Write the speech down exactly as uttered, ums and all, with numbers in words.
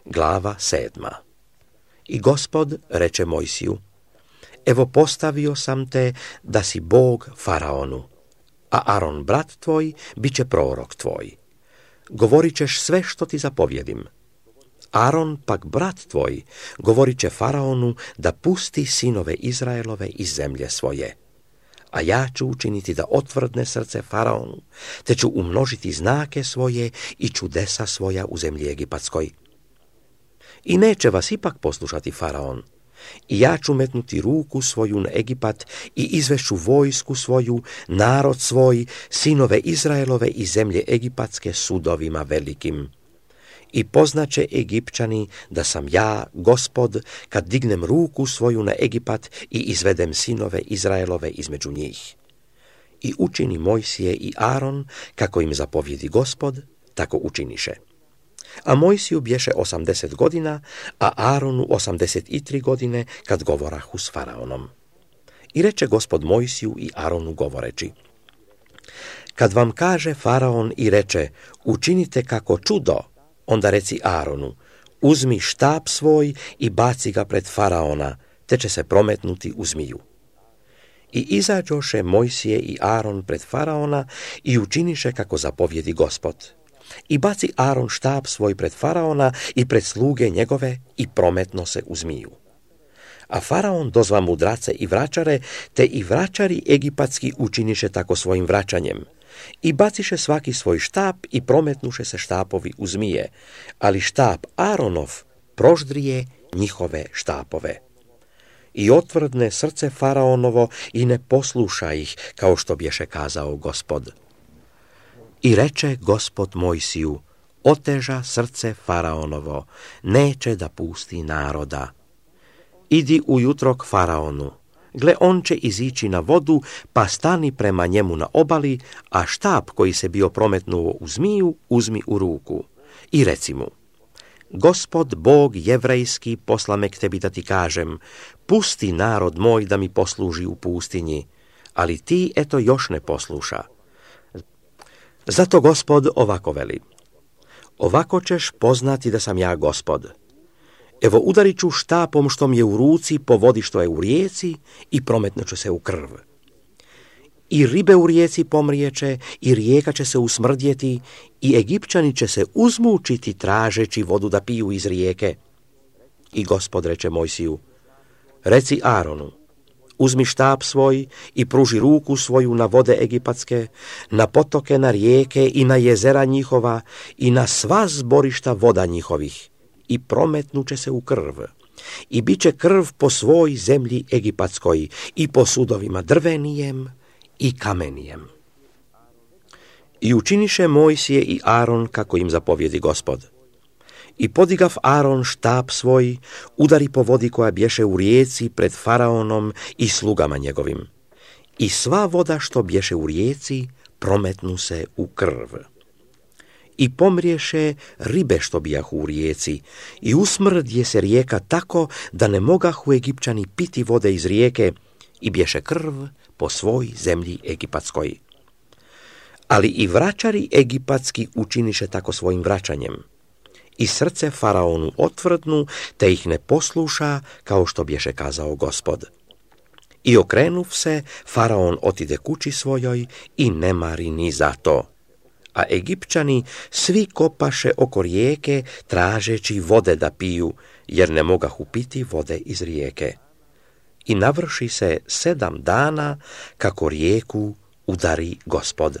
Glava sedma. I Gospod reče Mojsiju: Evo postavio sam te da si Bog faraonu, a Aron brat tvoj bit će prorok tvoj. Govorit ćeš sve što ti zapovjedim. Aron pak brat tvoj govorit će faraonu da pusti sinove Izraelove iz zemlje svoje. A ja ću učiniti da otvrdne srce faraonu, te ću umnožiti znake svoje i čudesa svoja u zemlji Egipatskoj. I neće vas ipak poslušati faraon. I ja ću metnuti ruku svoju na Egipat i izvešću vojsku svoju, narod svoj, sinove Izraelove iz zemlje Egipatske sudovima velikim. I poznaće Egipćani da sam ja, Gospod, kad dignem ruku svoju na Egipat i izvedem sinove Izraelove između njih. I učini Mojsije i Aron, kako im zapovjedi Gospod, tako učiniše. A Mojsiju bješe osamdeset godina, a Aronu osamdeset i tri godine, kad govorahu s faraonom. I reče Gospod Mojsiju i Aronu govoreći: Kad vam kaže faraon i reče: učinite kako čudo, onda reci Aronu: uzmi štap svoj i baci ga pred faraona, te će se prometnuti u zmiju. I izađoše Mojsije i Aron pred faraona i učiniše kako zapovjedi Gospod. I baci Aron štap svoj pred faraona i pred sluge njegove i prometno se u zmiju. A faraon dozva mudrace i vračare, te i vračari egipatski učiniše tako svojim vraćanjem. I baciše svaki svoj štap i prometnuše se štapovi u zmije, ali štap Aronov proždrije njihove štapove. I otvrdne srce faraonovo i ne posluša ih, kao što bješe kazao Gospod. I reče Gospod Mojsiju: oteža srce faraonovo, neće da pusti naroda. Idi ujutro k faraonu, gle on će izići na vodu, pa stani prema njemu na obali, a štap koji se bio prometnuo u zmiju uzmi u ruku. I reci mu: Gospod Bog jevrejski posla me k tebi da ti kažem: pusti narod moj da mi posluži u pustinji, ali ti eto još ne posluša. Zato Gospod ovako veli: ovako ćeš poznati da sam ja Gospod. Evo udarit ću štapom što mi je u ruci po vodi što je u rijeci i prometnut ću se u krv. I ribe u rijeci pomrijeće i rijeka će se usmrdjeti i Egipćani će se uzmučiti tražeći vodu da piju iz rijeke. I Gospod reče Mojsiju: reci Aronu: uzmi štap svoj i pruži ruku svoju na vode egipatske, na potoke, na rijeke i na jezera njihova i na sva zborišta voda njihovih, i prometnuće se u krv. I bit će krv po svoj zemlji egipatskoj i po sudovima drvenijem i kamenijem. I učiniše Mojsije i Aron kako im zapovjedi Gospod. I podigav Aron štap svoj, udari po vodi koja bješe u rijeci pred faraonom i slugama njegovim. I sva voda što bješe u rijeci prometnu se u krv. I pomriješe ribe što bijahu u rijeci, i usmrdje se rijeka tako da ne mogahu Egipćani piti vode iz rijeke, i bješe krv po svoj zemlji egipatskoj. Ali i vračari egipatski učiniše tako svojim vraćanjem. I srce faraonu otvrdnu, te ih ne posluša, kao što bješe kazao Gospod. I okrenuv se, faraon otide kući svojoj i ne mari ni za to. A Egipćani svi kopaše oko rijeke, tražeći vode da piju, jer ne mogahu piti vode iz rijeke. I navrši se sedam dana, kako rijeku udari Gospod.